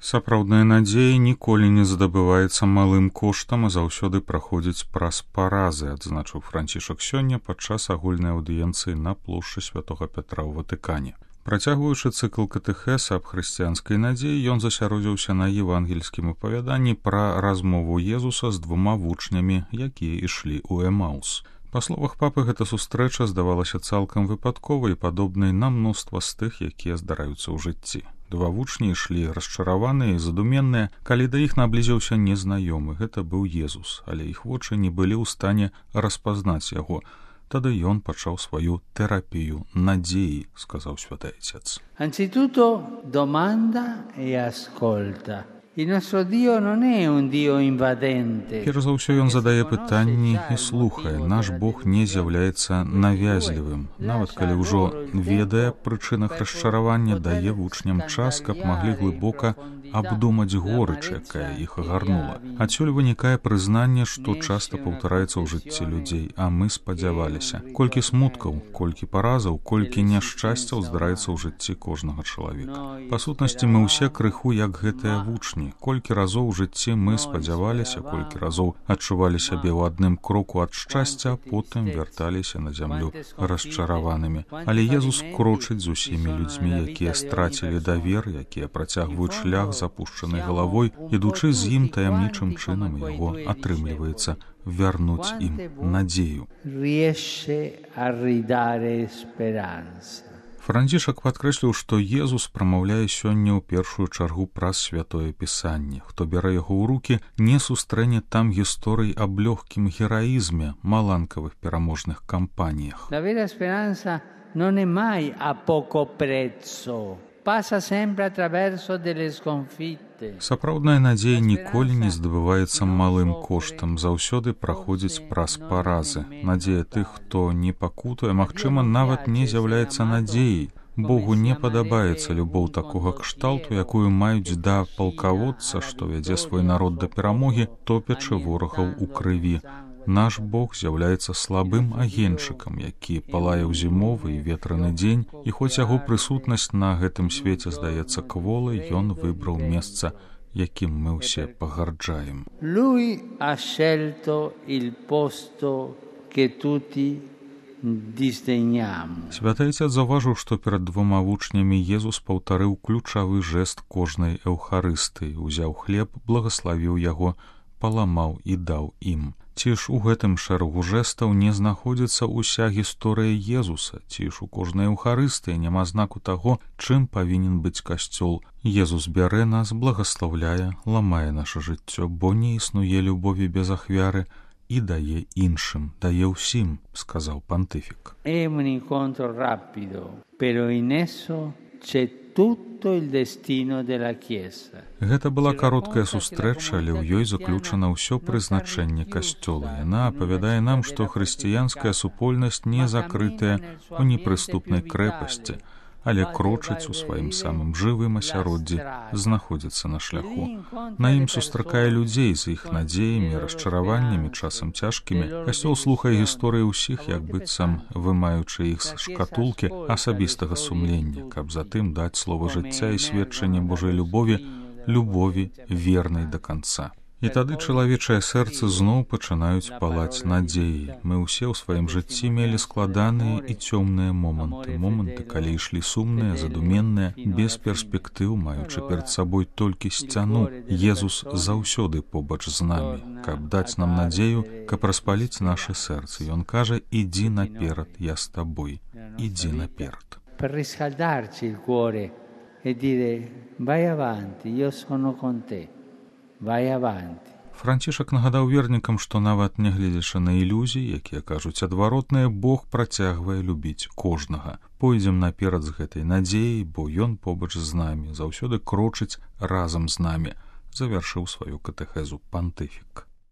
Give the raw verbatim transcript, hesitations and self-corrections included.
Сапраўдная надзея ніколі не здабываецца малым коштам, а заўсёды праходзіць праз паразы, адзначыў Францішак сёння падчас агульнай аўдыенцыі на плошчы Святога Пятра ў Ватыкане. Працягваючы цыкл катэхеса аб хрысціянскай надзеі, ён засяродзіўся на евангельскім апавяданні пра размову Езуса з двума вучнямі, якія ішлі ў Эмаус. Па словах папы, гэта сустрэча здавалася цалкам выпадковай і падобнай на мноства з тых, якія здараюцца ў жыцці. Два вучні ішлі расчараваныя і задуменныя, калі да іх наблізіўся незнаёмы. Гэта быў Езус, але іх вочы не былі ў стане распазнаць яго. Тады ён пачаў сваю тэрапію надзеі, сказаў святы Отец. Anzitutto domanda e ascolta. Il nostro Dio non è un Dio invadente. Перш за ўсё ён задае пытанні і слухае. Наш Бог не з'яўляецца навязлівым. Нават калі ўжо ведае прычынах расчаравання, дае вучням час, каб маглі глыбока абдумаць горыч, якая іх агарнула. Адсюль вынікае прызнанне, што часта паўтараецца ў жыцці людзей, а мы спадзяваліся. Колькі смуткаў, колькі паразаў, колькі няшчасцяў здараецца ў жыцці кожнага чалавека. Па сутнасці, мы ўсе крыху як гэтыя вучні. Колькі разоў у жыцці мы спадзяваліся, колькі разоў адчувалі сябе ў адным кроку ад шчасця, потым вярталіся на зямлю расчараванымі. Але Езус крочыць з усімі людзьмі, якія страцілі давер, якія працягваюць шлях запушчанай галавой, ідучы з ім таямнічым чынам, яго атрымліваецца вярнуць ім надзею. Францішак падкрэсліў, што Езус прамаўляе сёння ў першую чаргу праз святое пісанне. Хто бярэ яго ў рукі, не сустрэне там гісторый аб лёгкім гераізме, маланкавых пераможных кампаніях. La vera speranza non è mai a poco prezzo. Passa sempre attraverso delle sconfitte. Сапраўдная надзея ніколі не здабываецца малым коштам, заўсёды праходзіць праз паразы. Надзея тых, хто не пакутуе, магчыма, нават не з'яўляецца надзеяй. Богу не падабаецца любоў такога кшталту, якую маюць да палкаводца, што вядзе свой народ да перамогі, топячы ворагаў у крыві. Наш Бог з'яўляецца слабым агеньчыкам, які палае ў зімовы і ветраны дзень, і хоць яго прысутнасць на гэтым свеце здаецца кволай, ён выбраў месца, якім мы ўсе пагарджаем. Lui ha scelto il posto che tutti disdegniamo. Святы Отец заўважыў, што перад двума вучнямі Езус паўтарыў ключавы жэст кожнай эўхарыстыі, узяў хлеб, благаславіў яго, паламаў і даў ім. Ці ж у гэтым шэрагу жэстаў не знаходзіцца ўся гісторыя Езуса, ці ж у кожнай эўхарыстыі няма знаку таго, чым павінен быць касцёл. Езус бярэ нас, благаслаўляе, ламае наша жыццё, бо не існуе любові без ахвяры, і дае іншым, дае ўсім, сказаў пантыфік. È un incontro rapido, però in esso c'è tutto il destino della Chiesa. Гэта была кароткая сустрэча, але ў ёй заключана ўсё прызначэнне касцёла. Яна апавядае нам, што хрысціянская супольнасць не закрытая ў непрыступнай крэпасці, але крочыць у сваім самым жывым асяроддзі, знаходзіцца на шляху. На ім сустракае людзей з іх надзеямі, расчараваннямі, часам цяжкімі. Касцёл слухае гісторыі ўсіх, як быццам вымаючы іх з шкатулкі асабістага сумлення, каб затым даць слова жыцця і сведчанне Божай любові, любові вернай да канца. І тады чалавечае сэрца зноў пачынаюць палаць надзеі. Мы ўсе ў сваім жыцці мелі складаныя і цёмныя моманты. Моманты, калі ішлі сумныя, задуменныя, без перспектыў, маючы перад сабой толькі сцяну. Езус заўсёды побач з намі, каб даць нам надзею, каб распаліць нашы сэрцы. Ён кажа: «Ідзі наперад, я з табой, ідзі наперад». Per riscaldarci il cuore e dire: vai avanti, io sono con te. Vai avanti. Францішак нагадаў вернікам, што нават нягледзячы на ілюзіі, якія кажуць адваротнае, Бог працягвае любіць кожнага. Пойдзем наперад з гэтай надзеяй, бо ён побач з намі, заўсёды крочыць разам з намі, завяршыў сваю катэхезу пантыфік.